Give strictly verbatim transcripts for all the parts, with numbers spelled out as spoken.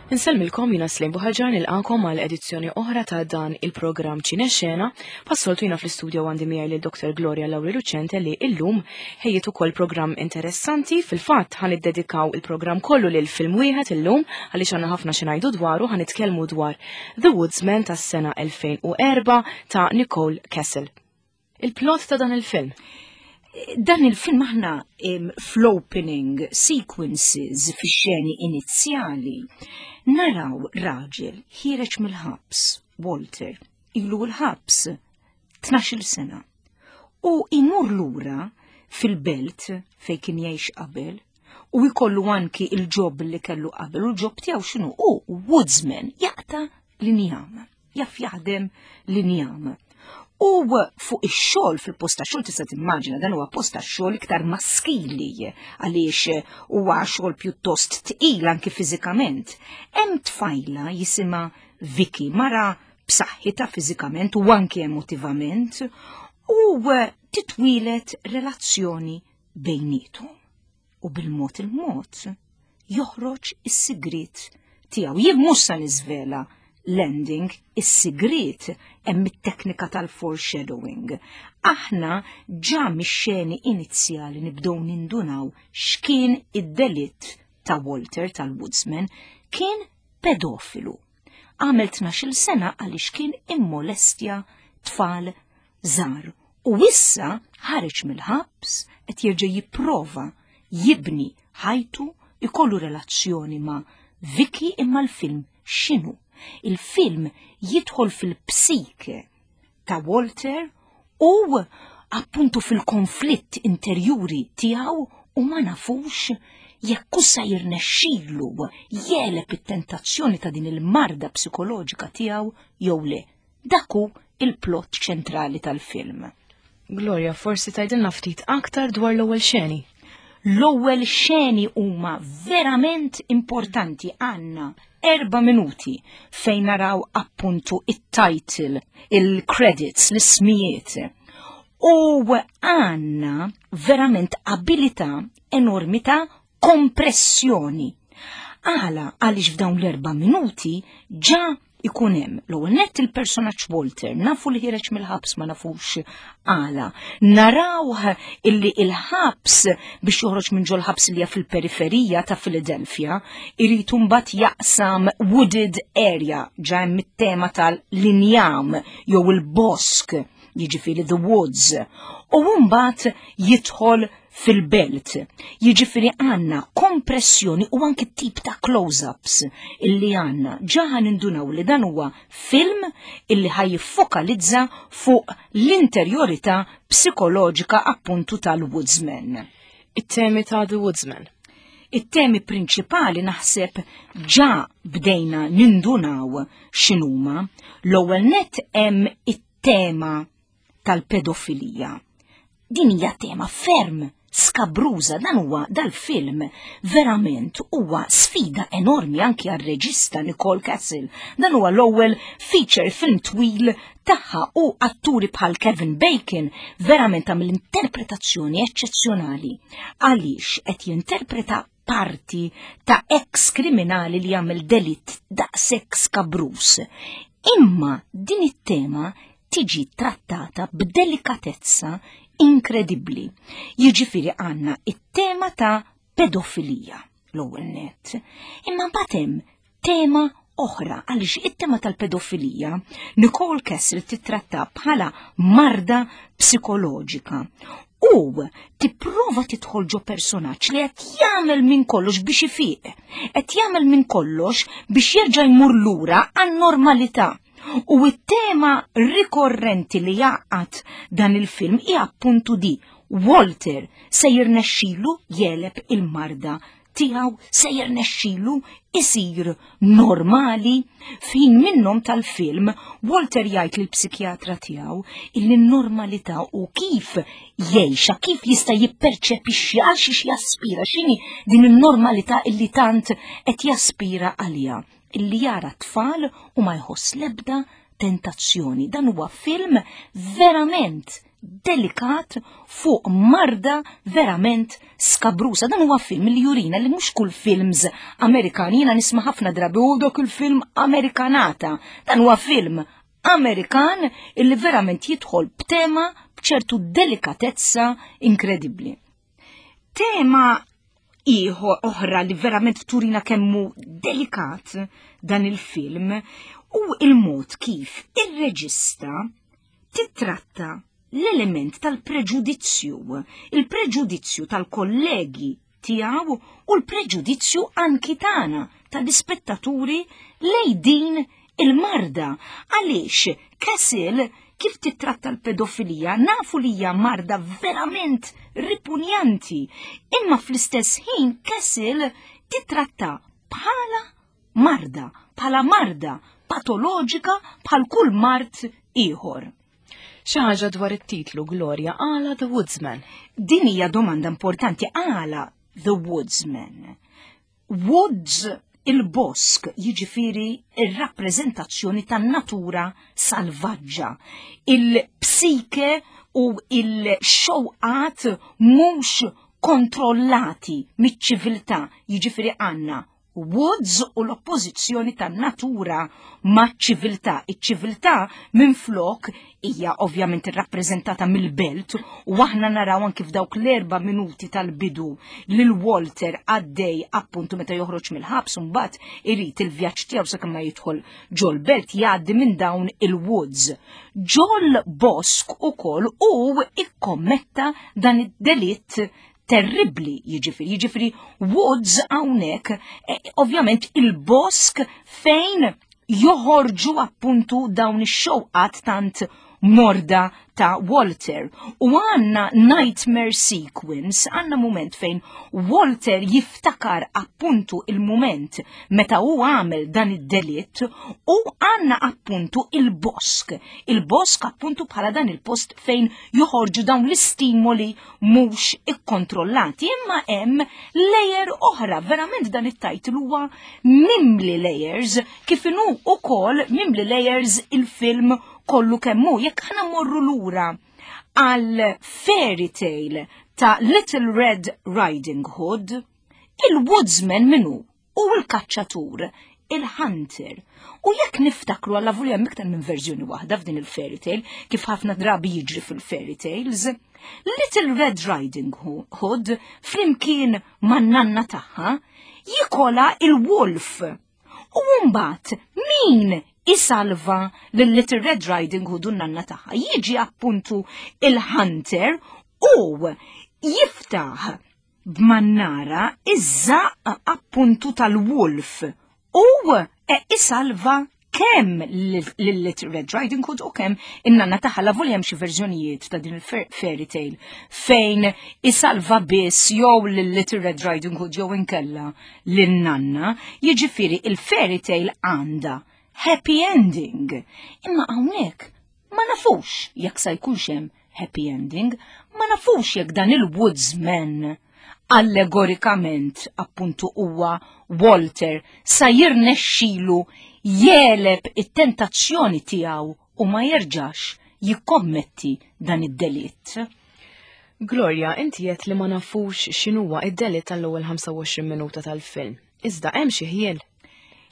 Insellmilkom, jiena Slim Buħaġar, nilqagħkom għal edizzjoni oħra ta' dan il-programm Ċinexxena. Bħas-soltu jiena fl-istudio għandi miegħi lil Doktor Gloria Lauri Lucente li illum ħejjiet ukoll programm interessanti. Fil-fatt ħa niddedikaw il-programm kollu lil film wieħed illum għaliex għandna ħafna xi ngħidu dwaru. Ħa nitkellmu dwar The Woodsman tas-sena elfejn u erbgħa ta' Nicole Kessel. Il-plot ta' dan il-film. Dan il-film aħna fl-opening sequences, fi xeni inizjali, naraw raġel ħiereġ mill-ħabs, Walter, ilu l-ħabs tnax-il sena. U imur lura fil-belt fej kien jgħix qabel u jkollu anki il-job li kellu qabel, u l-job tiegħu x'inhu? U woodsman, jaqta' l-injam, jaf jaħdem l-injam. U fuq ix-xogħol, fil-post ta' xogħol, tista' timmaġina dan huwa post ta' xogħol iktar maskili għaliex huwa xogħol pjuttost tqil anki fiżikament. Hemm tfajla jisimha Vicky, mara b'saħħitha fiżikament u anki emotivament, u titwieled relazzjoni bejnietom. U bil-mod il-mod joħroġ is-sigrit tiegħu. Jien mhux sa niżvela l-ending, is-sigrit hemm it-teknika tal-foreshadowing. Aħna ġa mix-xeni inizjali nibdew nindunaw x'kien id-delitt ta' Walter tal-Woodsman: kien pedofilu. Għamel tnax-il sena għaliex kien immolestja tfal żgħar. U issa ħareġ mill-ħabs, qed jerġa' jipprova jibni ħajtu, ikollu relazzjoni ma' Vicky. Imma l-film x'inhu? Il-film jidħol fil-psike ta' Walter u appuntu fil-konflitt interjuri tiegħu, u ma nafux jekk sa jirnexxilu jegħleb it-tentazzjoni ta' din il-marda psikoloġika tiegħu jew le. Dak hu il-plot ċentrali tal-film. Gloria, forsi tgħidilna ftit aktar dwar l-ewwel xeni. L-ewwel xeni huma verament importanti. Għandna erba' minuti fejn naraw appuntu it-title, il-credits, l-ismijiet. U għandna verament abilità enormi ta' kompressjoni. Għala? Għaliex f'dawn l-erba' minuti ġa ikun hemm l-ewwel nett il-personaġġ Walter, nafu li ħiereġ mill-ħabs, ma nafux għala. Narawh illi il-ħabs, biex joħroġ minn ġol-ħabs li hija fil-periferija ta' Philadelphia, irid mbagħad jaqsam wooded area, ġa hemm it-tema tal-injam jew il-bosk, jiġifieri the woods. U mbagħad jidħol fil-belt. Jiġifieri għandna kompressjoni u anki tip ta' close-ups illi għandna. Ġa nindunaw li dan huwa film illi ħa jiffokalizza fuq l-interjorità psikoloġika appuntu tal-Woodsman. It-temi ta' The Woodsman. It-temi prinċipali naħseb ġa bdejna nindunaw x'inhuma. L-ewwel net hemm it-tema tal-pedofilija. Din hija tema ferm skabruża. Dan huwa dal-film verament huwa sfida enormi anki għar-reġista Nicole Castle. Dan huwa l-ewwel feature film twil tagħha, u atturi bħal Kevin Bacon verament għamel interpretazzjoni eċċezzjonali għaliex qed jinterpreta parti ta' ex kriminali li jagħmel delitt daqshekk skabruż. Imma din it-tema tiġi trattata b'delikatezza inkredibbli. Jiġifieri għandna it-tema ta' pedofilija l-ewwel net. Imma mbagħad hemm tema oħra, għaliex it-tema tal-pedofilija Nicole Kessel titratta bħala marda psikoloġika u tipprova tidħol ġo personaġġ li qed jagħmel minn kollox biex ifiq, qed jagħmel minn kollox biex jerġa' jmur lura għan-normalità. U it-tema rikorrenti li jgħaqqad dan il-film hija appuntu di: Walter se jirnexxilu jegħleb il-marda tiegħu, se jirnexxilu isir normali? F'ħin minnhom tal-film Walter jgħid lill-psikjatra tiegħu illi n-normalità u kif jgħixha, kif jista' jipperċepixxi, għal xiex jaspira, x'inhi din in-normalità illi tant qed jaspira għaliha, illi jara tfal u ma jħoss lebda tentazzjoni. Dan huwa film verament Delikat fuq marda verament skabrusa. Dan huwa film li jurina li mhux kull films Amerikani, jiena nisma' ħafna drabi u dak il-film Amerikanata. Dan huwa film Amerikan illi verament jidħol b'tema b'ċertu delikatezza inkredibbli. Tema ieħor oħra li verament turina kemmu delikat dan il-film u il-mod kif ir-reġista titratta l-element tal-preġudizzju, il-preġudizzju tal-kollegi tiegħu u l-preġudizzju anki tagħna tal-ispettaturi lej din il-marda. Għaliex Castle kif titratta l-pedofilija nafu li hija marda verament ripunjanti, imma fl-istess ħin Castle titratta bħala marda, bħala marda patoloġika bħal kull mard ieħor. Xi ħaġa dwar it-titlu, Gloria, għala The Woodsman? Din hija domanda importanti, għala The Woodsman. Woods, il-bosk, jiġifieri ir-rappreżentazzjoni tan-natura salvaġġa, il-psike u il-xewqat mhux kontrollati miċ-ċiviltà, jiġifieri għandna woods u l-oppożizzjoni tan-natura maċ-ċiviltà. Iċ-ċiviltà minn flok hija ovvjament irrappreżentata mill-belt u aħna naraw anki f'dawk l-erba' minuti tal-bidu lil Walter għaddej appuntu meta joħroġ mill-ħabs u mbagħad irid il-vjaġġ tiegħu sakemm ma jidħol ġol-belt jgħaddi minn dawn il-woods. Ġol bosk ukoll u ikkommetta dan id-delitt terribli, jiġifieri, jiġifieri woods hawnhekk, eh, ovvjament il-bosk fejn joħorġu appuntu dawn ix-xewqat tant morda ta' Walter. U għanna nightmare sequence, għanna moment fejn Walter jiftakar appuntu il-moment meta hu għamel dan id-delitt u għanna appuntu il-bosk. Il-bosk appuntu bħala dan il-post fejn joħorġu dawn l-istimoli mhux ikkontrollati. Imma hemm layer oħra, verament dan it-title huwa mimli layers, kif inhu ukoll mimli layers il-film kollu kemmu. Jekk aħna morru lura għal fairy tale ta' Little Red Riding Hood, il-woodsman minu u l-kaċċatur, il-hunter. U jekk niftakru, għalla volja hemm iktar minn verżjoni waħda f'din il-fairy tale, kif ħafna drabi jiġri fil-fairy tales, Little Red Riding Hood flimkien man-nanna tagħha jikola il-wolf. U mbagħad min isalva lil Little Red Riding Hood u n-nanna tagħha? Jiġi appuntu il-hunter u jiftaħ b'mannara iż-żaq appuntu tal-wolf u e isalva kemm lil Little Red Riding Hood u kemm in-nanna tagħha. La volja hemm xi verżjonijiet ta' din il-fairy tale fejn isalva biss jew lil Little Red Riding Hood jew inkella lin-nanna, jiġifieri il-fairy tale għandha happy ending. Imma hawnhekk ma nafux jekk sa jkunx hemm happy ending, ma nafux jekk dan il-woodsman allegorikament appuntu huwa Walter sa jirnexxilu jegħleb it-tentazzjoni tiegħu u ma jerġax jikkommetti dan id-delitt. Gloria, inti qed li ma nafux x'inhuwa id-delitt tal-ewwel ħamsa u għoxrin minuta tal-film. Iżda hemm xi ħjiel?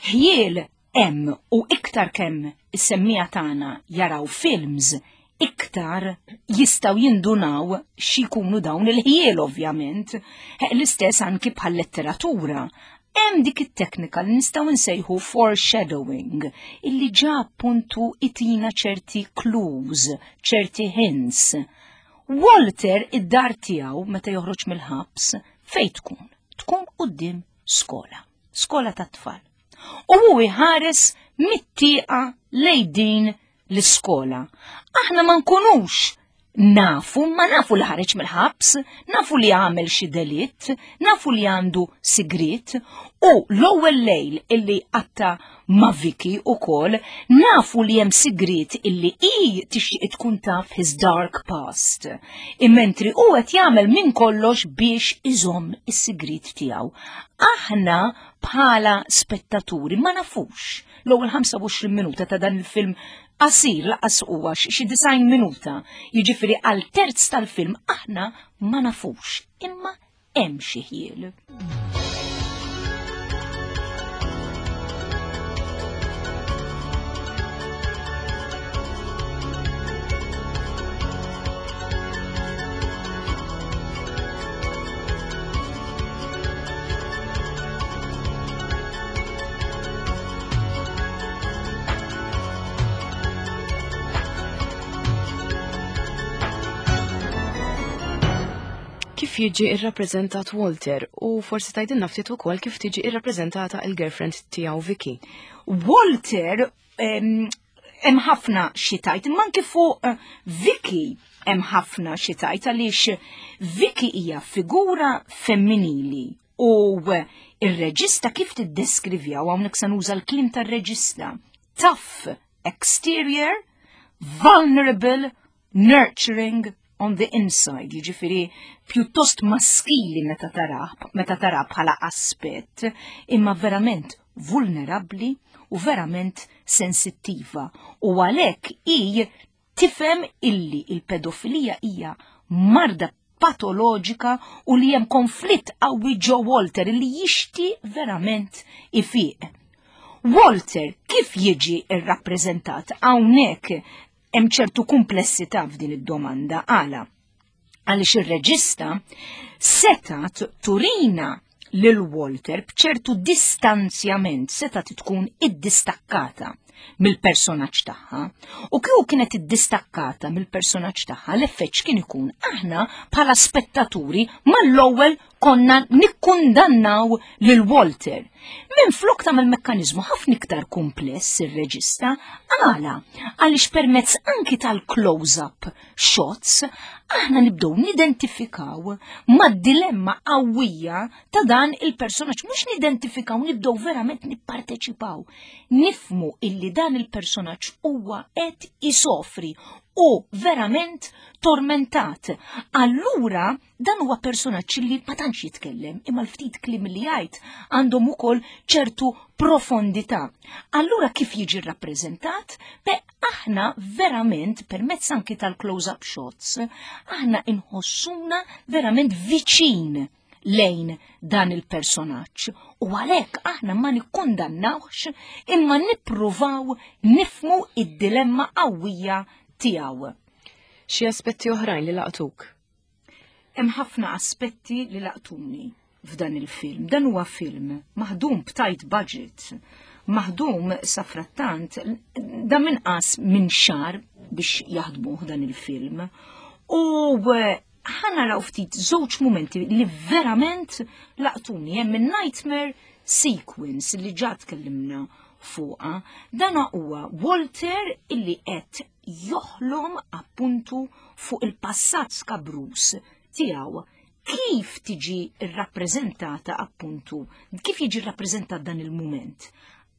Ħjiel hemm, u iktar kemm is-semmiegħa tagħna jaraw films, iktar jistgħu jindunaw x'ikunu dawn il-ħjiel ovvjament. L-istess anki bħal letteratura. Hemm dik it-teknika li nistgħu nsejħu foreshadowing, illi ġa appuntu itina ċerti clues, ċerti hints. Walter, id-dar tiegħu meta joħroġ mill-ħabs fejn tkun? Tkun quddiem skola, skola tat-tfal. U hu jħares mit-tieqa lejn din l-iskola. Aħna ma nkunux nafu, ma nafu li ħareġ mill-ħabs, nafu li għamel xi delitt, nafu li għandu sigrit, U l-ewwel lejl illi qatta ma' Vicky ukoll nafu li hemm sigriet illi hi tixtieq tkun taf his dark past. Immentri hu qed jagħmel minn kollox biex iżomm is-sigriet tiegħu. Aħna bħala spettaturi ma nafux l-ewwel ħamsa u għoxrin minuta ta' dan il-film qasir, lanqas huwa xi disgħin minuta. Jiġifieri għal terz tal-film aħna ma nafux, imma hemm xi ħjiel. Kif jiġi irrappreżentat Walter u forsi tgħidilna ftit ukoll kif tiġi irrappreżentata il-girlfriend tiegħu Vicky? Walter hemm ħafna xi tgħid, imma anke fuq eh, Vicky hemm ħafna xi tgħid, għaliex Vicky hija figura femminili u ir-reġista kif tiddeskrivja, u hawnhekk se nuża l-kliem tar-reġista: tough exterior, vulnerable, nurturing on the inside, jiġifieri pjuttost maskili meta tarah, meta tara bħala aspett, imma verament vulnerabbli u verament sensittiva. U għalhekk hi tifhem illi il-pedofilija hija marda patoloġika u li hemm konflitt qawwi ġo Walter illi jixti verament ifiq. Walter kif jiġi irrappreżentat? Hawnhekk hemm ċertu komplessità f'din id-domanda. Għala? Għaliex ir-reġista setat turina lil Walter b'ċertu distanzjament, setat tkun iddistakkata mill-personaġġ tagħha. U kieku kienet iddistakkata mill-personaġġ tagħha, l-effett kien ikun aħna bħala spettaturi mal-ewwel konna nikkundannaw lil Walter. Minn flok tagħmel mekkaniżmu ħafna iktar kumpless ir-reġista, għala? Għaliex permezz anki tal-close-up shots aħna nibdew nidentifikaw mad-dilemma qawwija ta' dan il-personaġġ, mhux nidentifikaw, nibdew verament nipparteċipaw. Nifmu illi dan il-personaġġ huwa qed isofri u verament tormentat. Allura dan huwa personaġġ li ma tantx jitkellem, imma l-ftit kliem li jgħid għandhom ukoll ċertu profondità. Allura kif jiġi rrappreżentat? Be aħna verament permezz anki tal-close-up shots, aħna inħossuna verament viċin lejn dan il-personaġġ u għalhekk aħna ma nikkundannawx imma nippruvaw nifmu id-dilemma qawwija tiegħu. Xi aspetti oħrajn li laqtuk? Hemm ħafna aspetti li laqtuni f'dan il-film. Dan huwa film maħdum b'tight budget, maħdum safrattant da minqas minn xahar biex jaħdmuh dan il-film. U ħa naraw ftit żewġ momenti li verament laqtuni. Hemm il-nightmare sequence li ġa tkellimna fuqha. Dan huwa Walter illi qed joħlom appuntu fuq il-passat skabrus tiegħu. Kif tiġi rrappreżentata appuntu, kif jiġi rrappreżentat dan il-moment?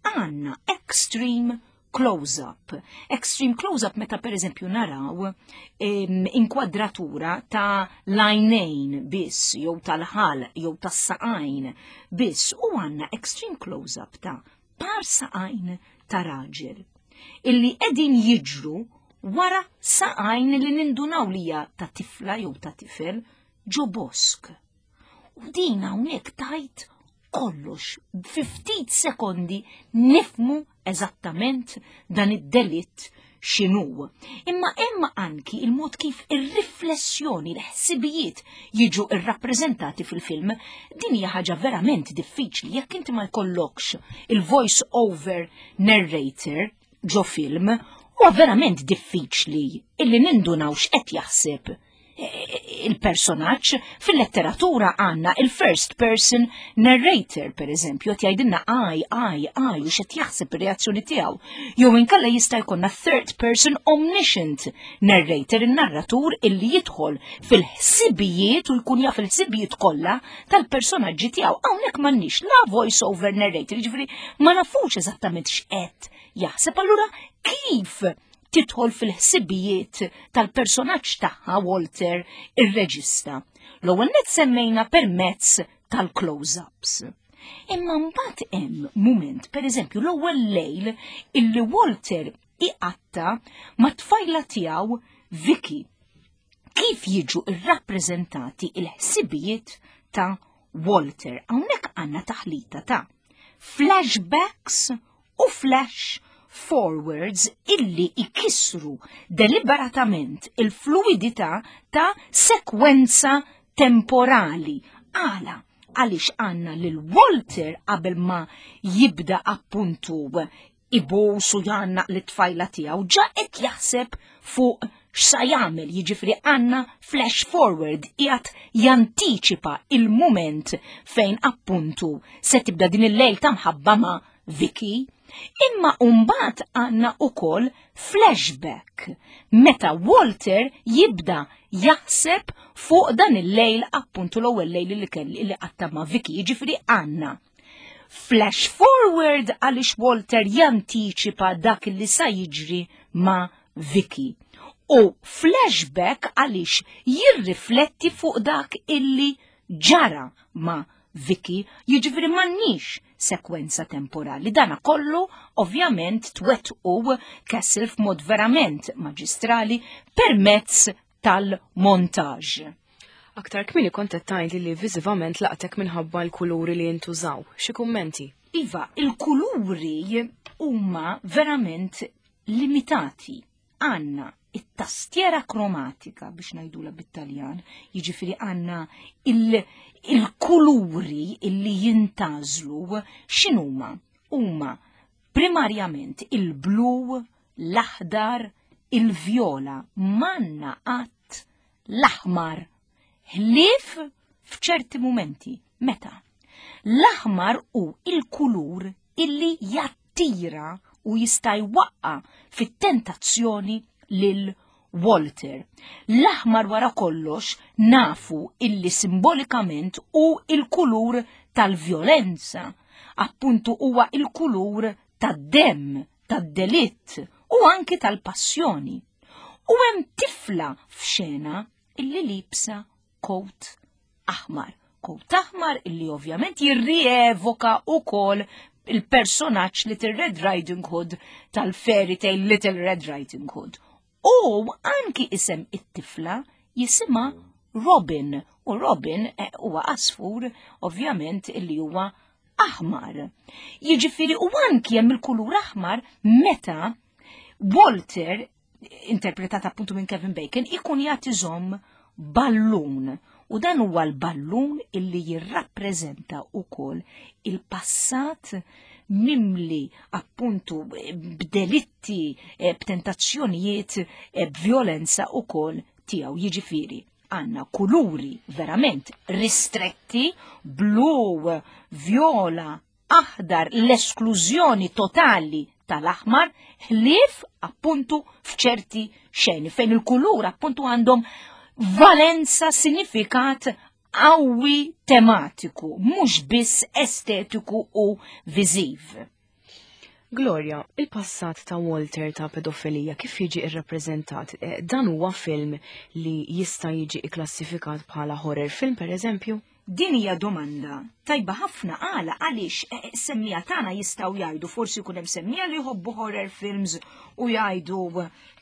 Għandna extreme close-up. Extreme close-up meta per eżempju naraw inkwadratura ta' l-għajnejn biss, jew tal-ħalq, jew tas-saqajn biss, u għandna extreme close-up ta' par saqajn ta' raġel illi qegħdin jiġru wara saqajn li nindunaw li hija ta' tifla jew ta' tifel ġo bosk. U din hawnhekk tajt kollox, fi ftit sekondi nifmu eżattament dan id-delitt x'inhu. Imma hemm anki il-mod kif ir-riflessjoni, l-ħsibijiet jiġu irrappreżentati fil-film. Din hija ħaġa verament diffiċli jekk inti ma jkollokx il-voice over narrator ġo film, huwa verament diffiċli illi nindunaw x'qed jaħseb il-personaġġ. Fil-letteratura għandna il-first person narrator, per eżempju, qed jgħidilna "I, I, I" u x'qed jaħseb, ir-reazzjoni tiegħu. Jew inkella jista' jkollna third person omniscient narrator, il-narratur illi jidħol fil-ħsibijiet u jkun jaf il-ħsibijiet kollha tal-personaġġi tiegħu. Hawnhekk m'għandniex la voice over narrator, jiġifieri ma nafux eżattament x'qed jaħseb. Allura kif tidħol fil-ħsibijiet tal-personaġġ tagħha Walter ir-reġista? L-ewwel net semmejna permezz tal-close-ups. Imma mbagħad hemm mument, pereżempju l-ewwel lejl illi Walter iqatta ma' tfajla tiegħu Vicky. Kif jiġu irrappreżentati il-ħsibijiet ta' Walter? Hawnhekk għandna taħlita ta' flashbacks u flash forwards illi ikissru deliberatament il-fluidità ta' sekwenza temporali. Għala, għaliex għandna lil Walter qabel ma jibda appuntu ibus u jgħannaq lit-tfajla tiegħu, ġa qed jaħseb fuq x'sa jagħmel, jiġifieri għandna flash forward, qiegħed jantiċipa il-mument fejn appuntu se tibda din il-lejl ta' mħabba ma' Vicky. Imma mbagħad għandna ukoll flashback meta Walter jibda jaħseb fuq dan il-lejl, appuntu l-ewwel lejl li kelli li qatta ma' Vicky, jiġifieri għandna flash forward għaliex Walter jantiċipa dak li sa jiġri ma' Vicky. U flashback għaliex jirrifletti fuq dak illi ġara ma' Vicky, jiġifieri m'għandniex sekwenza temporali. Dana kollu ovvjament twettqu Kessel f'mod verament maġistrali permezz tal-montaġ. Aktar kmieni kont qed tgħidli li viżivament laqtek minħabba l-kuluri li jintużaw. Xi kummenti? Iva, il-kuluri huma verament limitati. Għandna it-tastiera kromatika, biex ngħidula bit-Taljan, jiġifieri għandna il-kuluri illi jintgħażlu x'inhuma? Huma primarjament il-blu, l-aħdar, il-vjola, m'għandna qatt l-aħmar ħlief f'ċerti mumenti. Meta? L-aħmar hu il-kulur illi jattira u jista' jwaqqa fit-tentazzjoni lil Walter. L-aħmar wara kollox nafu illi simbolikament hu il-kulur tal-vjolenza. Appuntu huwa il-kulur tad-dem, tad-delitt u anki tal-passjoni. U hemm tifla f'xena illi liebsa coat aħmar. Coat aħmar illi ovvjament jirrievoka ukoll il-personaġġ Little Red Riding Hood tal-fairy tale Little Red Riding Hood. U anki isem it-tifla, jisimha Robin. U Robin eh, huwa għasfur ovvjament illi huwa aħmar. Jiġifieri u anki hemm il-kulur aħmar meta Walter, interpretat appuntu minn Kevin Bacon, ikun jagħti iżomm ballun. U dan huwa l-ballun illi jirrappreżenta ukoll il-passat mimli appuntu b'delitti, eh, b'tentazzjonijiet, eh, b'violenza ukoll tiegħu. Jiġifieri għandna kuluri verament ristretti, blu, viola, aħdar, l-esklużjoni totali tal-aħmar, ħlief appuntu f'ċerti xeni fejn il-kulur appuntu għandhom valenza, sinifikat qawwi tematiku, mhux biss estetiku u viżiv. Gloria, il-passat ta' Walter ta' pedofilija kif jiġi irrappreżentat? Eh, dan huwa film li jista' jiġi ikklassifikat bħala horror film, per eżempju? Din hija domanda tajba ħafna. Għala? Għaliex eh, semmiegħa tagħna jistgħu jgħidu, forsi jkun hemm semmiegħa li jħobbu horror films u jgħidu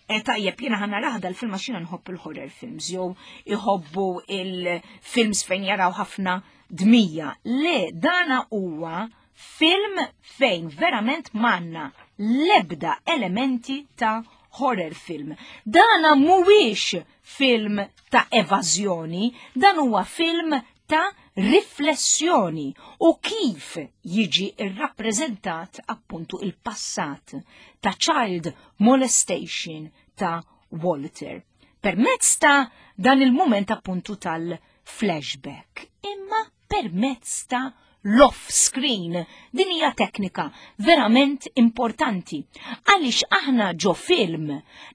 e, "Tajjeb, jiena ħa narah dal-film għax jiena nħobb il-horror films", jew iħobbu il-films fejn jaraw ħafna dmija. Le, dana huwa film fejn verament m'għandna lebda elementi ta' horror film. Dana mhuwiex film ta' evażjoni, dan huwa film ta' riflessjoni u kif jiġi irrappreżentat appuntu il-passat ta' child molestation ta' Walter. Permezz ta' dan il-moment appuntu tal-flashback, imma permezz ta' l-off screen. Din hija teknika verament importanti għaliex aħna ġo film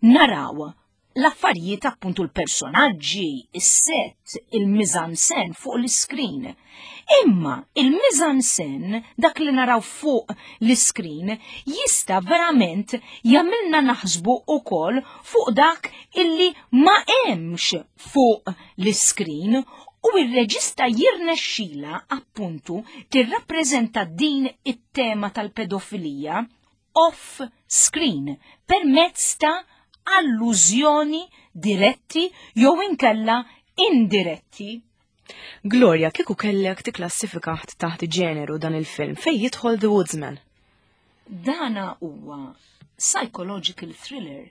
naraw l-affarijiet, appuntu l-personaġġi, is-set, il-mise-en-scène fuq l-screen. Imma il-mise-en-scène, dak li naraw fuq l-screen, jista' verament jagħmilna naħsbu ukoll fuq dak illi ma hemmx fuq l-screen, u il-reġista jirnexxila appuntu tirrappreżenta din it-tema tal-pedofilija off screen permezz ta' allużjoni diretti jew inkella indiretti. Gloria, kieku kellek tikklassifika taħt ġeneru dan il-film, fej jidħol The Woodsman? Dana huwa psychological thriller.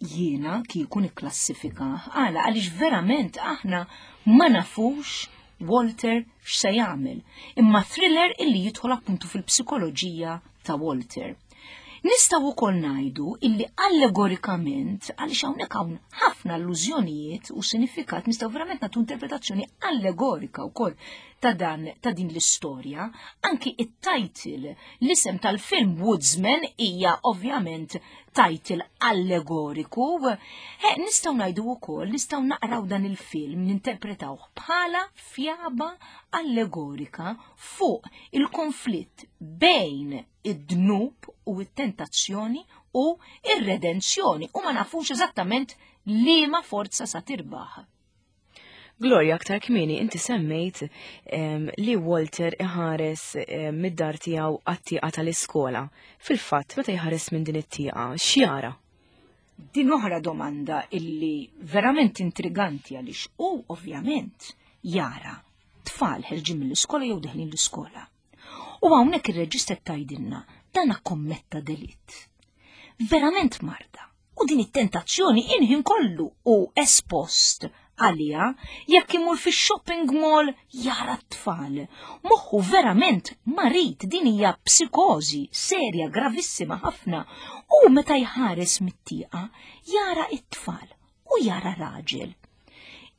Jiena kieku nikklassifika għala għaliex verament aħna ma nafux Walter x'se jagħmel, imma thriller illi jidħol appuntu fil-psikoloġija ta' Walter. Nistgħu wkoll ngħidu illi allegorikament, għaliex hawnhekk hawn ħafna allużjonijiet u sinifikat, nistgħu verament nagħtu interpretazzjoni allegorika wkoll ta' dan ta' din l-istorja. Anki it-title, l-isem tal-film Woodsman hija ovvjament title allegoriku. He, nistgħu ngħidu wkoll, nistgħu naqraw dan il-film, ninterpretawh bħala fjaba allegorika fuq il-konflitt bejn id-dnub u it-tentazzjoni u ir-redenzjoni, u ma nafux eżattament liema forza sa tirbaħ. Gloria, aktar kmieni inti semmejt em, li Walter iħares em, mid-dar tiegħu għat-tieqa tal-iskola. Fil-fatt, meta jħares minn din it-tieqa, x'jara? Din oħra domanda illi verament intriganti, għaliex u ovvjament jara tfal ħerġin mill-iskola jew deħlin l-iskola. U hawnhekk ir-reġista tgħidilna dan kommetta delitt. Verament marda. U din it-tentazzjoni inħin kollu u espost għalija, jekk imur fi shopping mall jara t-tfal. Moħħu verament marid, din hija psikożi serja, gravissima ħafna. U meta jħares mit-tieqa jara it-tfal u jara raġel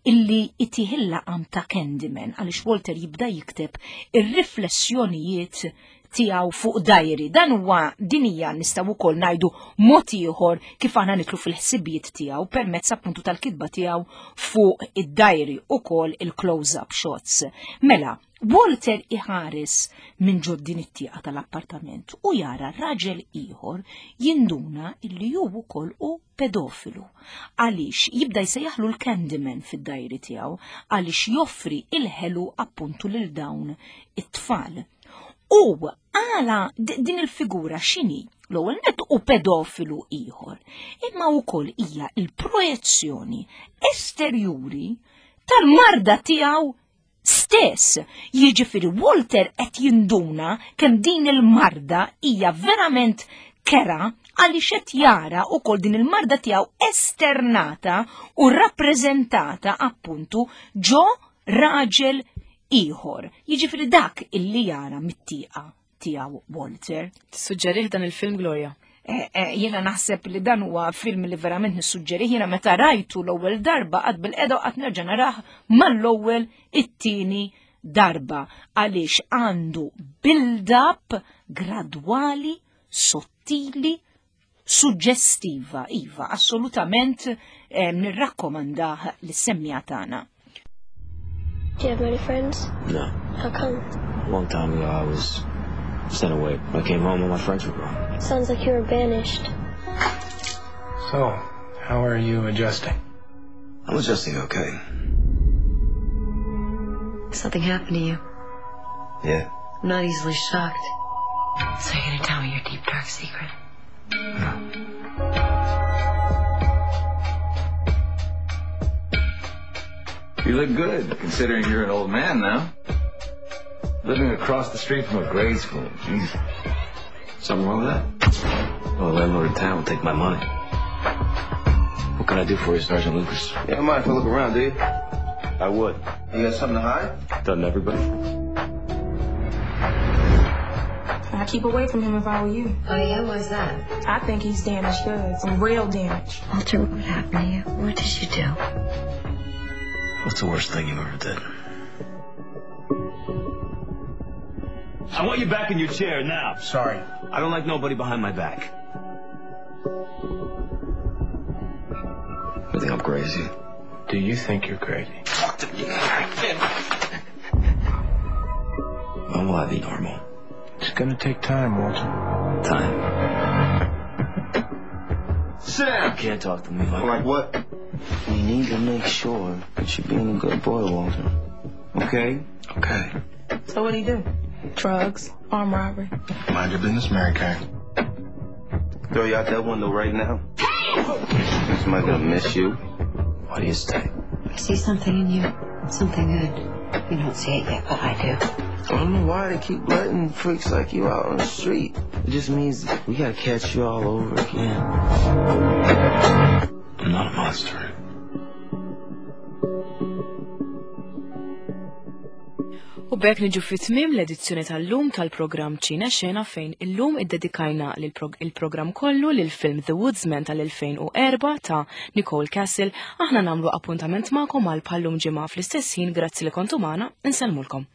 illi itih il-laqam ta' Candyman, għaliex Walter jibda jikteb ir-riflessjonijiet tiegħu fuq diary. Dan huwa, din hija, nistgħu wkoll ngħidu, mod ieħor kif aħna nidħlu fil-ħsibijiet tiegħu permezz appuntu tal-kitba tiegħu fuq id-diary, ukoll il-close-up shots. Mela, Walter iħares minn ġo din it-tieqa tal-appartament u jara raġel ieħor, jinduna illi hu wkoll hu pedofilu. Għaliex jibda jsejjaħlu l-Candyman fid-diary tiegħu, għaliex joffri il-ħelu appuntu lil dawn it-tfal. U għala din il-figura x'inhi? L-ewwel net hu pedofilu ieħor, imma wkoll hija il-projezzjoni esterjuri tal-marda tiegħu stess. Jiġifieri Walter qed jinduna kemm din il-marda hija verament kerha, għaliex qed jara wkoll din il-marda tiegħu esternata u rappreżentata appuntu ġo raġel ieħor. Jiġifieri dak illi jara mit-tieqa tiegħu Walter. Tissuġġerih dan il-film, Gloria? Eh, eh, jiena naħseb li dan huwa film li verament nissuġġerih. Jiena meta rajtu l-ewwel darba qgħadt bilqiegħda u qatt nerġa' narah mal-ewwel it-tieni darba, għaliex għandu build-up gradwali, sottili, suġġestiva. Iva, assolutament eh, nirrakkomandah lis-semmiegħa tagħna. Do you have many friends? No. How come? A long time ago, I was sent away. When I came home, all my friends were gone. Sounds like you were banished. So, how are you adjusting? I'm adjusting okay. Something happened to you. Yeah. I'm not easily shocked. So you're gonna tell me your deep, dark secret? No. You look good, considering you're an old man now. Living across the street from a grade school. Jeez. Something wrong with that? Well, the landlord in town will take my money. What can I do for you, Sergeant Lucas? You don't mind if I look around, do you? I would. You got something to hide? Doesn't everybody? I I'd keep away from him if I were you. Oh, yeah? Why's that? I think he's damaged goods. Real damage. Walter, what happened to you? What did you do? What's the worst thing you ever did? I want you back in your chair now. Sorry. I don't like nobody behind my back. You think I'm crazy? Do you think you're crazy? Talk to me. When will I be normal? It's gonna take time, Walter. Time. Sam! You can't talk to me like Like what? We need to make sure that you're being a good boy, Walter. Okay? Okay. So what'd he do? Drugs, armed robbery. Mind your business, Mary Kay. Throw you out that window right now. Somebody's gonna miss you. Why do you stay? I see something in you. Something good. You don't see it yet, but I do. I don't know why they keep letting freaks like you out on the street. It just means we gotta catch you all over again. I'm not a monster. U b'hekk niġu fi tmiem l-edizzjoni tal-lum tal-programm Ċine Xena fejn illum iddedikajna il-programm kollu lil film The Woodsman tal-elfejn u erba' ta' Nicole Castle. Aħna nagħmlu appuntament magħkom għal bħallum ġimgħa fl-istess ħin. Grazzi li kontu magħna, insellmulkom.